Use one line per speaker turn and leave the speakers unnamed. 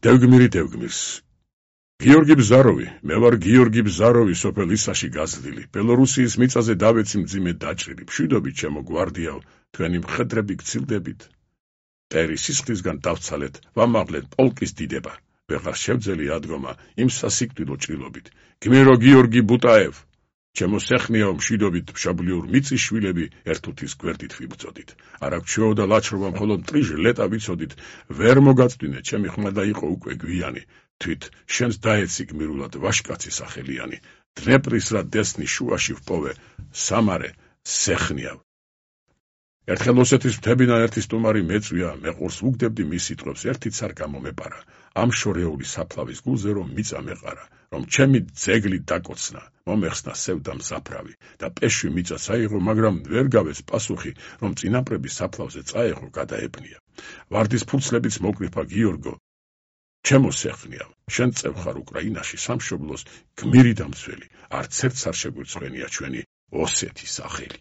დევგმირი დევგმირს. გიორგი ბზაროვი, მე ვარ გიორგი ბზაროვი, სოფელ ისაში გაზრდილი. ბელორუსიის მიწაზე დავეცი მძიმე დაჭრილი. მშვიდობით ჩემო გვარდიაო, თქვენი მხედრები გცილდებით. მტერი სისხლისგან დავცალეთ, ვამაღლეთ პოლკის დიდება. ვეღარ შევძელი ადგომა იმ სასიკვდილო ჭრილობით. გმირო გიორგი ბუტაევ, ჩემო სეხნიაო, მშვიდობით მშობლიურ მიწის შვილები ერთუთის გვერდით ვიბრძოდით. არა გჩვეო და ლაჩრობა მხოლოდ ტრიჟ ლეტა ვიცოდით. ვერ მოგაწვდინე, ჩემი ხმა და იყო უკვე გვიანი. თვით შენს დაეცი გმირულად ვაშკაცი სახელიანი. დნეპრის რა დესნის შუაში ვპოვე, სამარე სეხნიავ. ერთხელ ოსეთის მთებიდან ერთი სტუმარი მეწვია, მე ყურს ვუგდებდი მის სიტყვებს, ერთიც არ გამომეპარა. ამ შორეული საფლავის გულზე რომ მიწა მეყარა, რომ ჩემი ძეგლი დაკოცნა, მომეხსნა სევდა მზაფრავი და პეშვი მიწა საიღო, მაგრამ ვერ გავეს პასუხი, რომ წინაპრების საფლავზე წაეღო, გადაებნია. ვარდის ფურცლებიც მოკრიფა გიორგო, ჩემო სეხნიავ, შენ წევხარ უკრაინაში სამშობლოს გმირი დამცველი, არც ერთს არ შეგვირცხვენია ჩვენი ოსეთის სახელი.